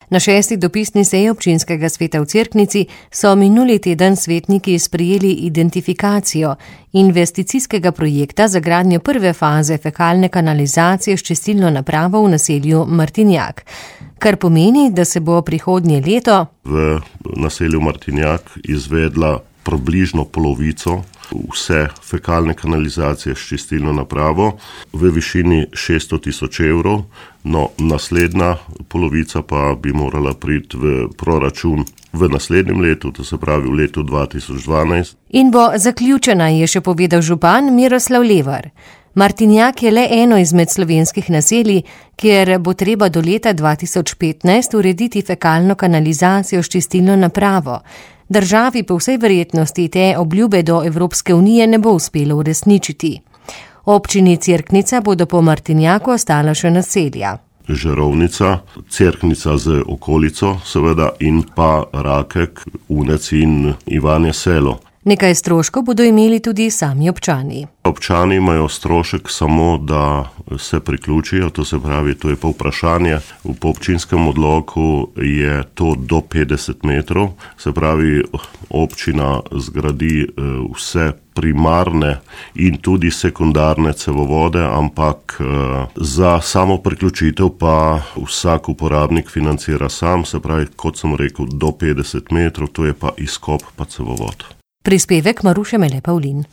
Na 6. dopisni seji občinskega sveta v Cerknici so minuli teden svetniki sprejeli identifikacijo investicijskega projekta za gradnjo prve faze fekalne kanalizacije s čistilno napravo v naselju Martinjak, kar pomeni, da se bo prihodnje leto v naselju Martinjak izvedla približno polovico vse fekalne kanalizacije s čistilno napravo v višini 600 tisoč evrov, no naslednja polovica pa bi morala priti v proračun v naslednjem letu, to se pravi v letu 2012. In bo zaključena, je še povedal župan Miroslav Levar. Martinjak je le eno izmed slovenskih naselij, kjer bo treba do leta 2015 urediti fekalno kanalizacijo s čistilno napravo. Državi po vsej verjetnosti te obljube do Evropske unije ne bo uspelo uresničiti. Občini Cerknica bodo po Martinjaku ostala še naselja. Žarovnica, Cerknica z okolico, seveda, in pa Rakek, Unec in Ivanje Selo. Nekaj stroškov bodo imeli tudi sami občani. Občani imajo strošek samo, da se priključijo, to se pravi, to je pa vprašanje. V občinskem odloku je to do 50 metrov, se pravi, občina zgradi vse primarne in tudi sekundarne cevovode, ampak za samo priključitev pa vsak uporabnik financira sam, se pravi, kot sem rekel, do 50 metrov, to je pa izkop pa cevovod. Prispevek Maruše Mele Pavlin.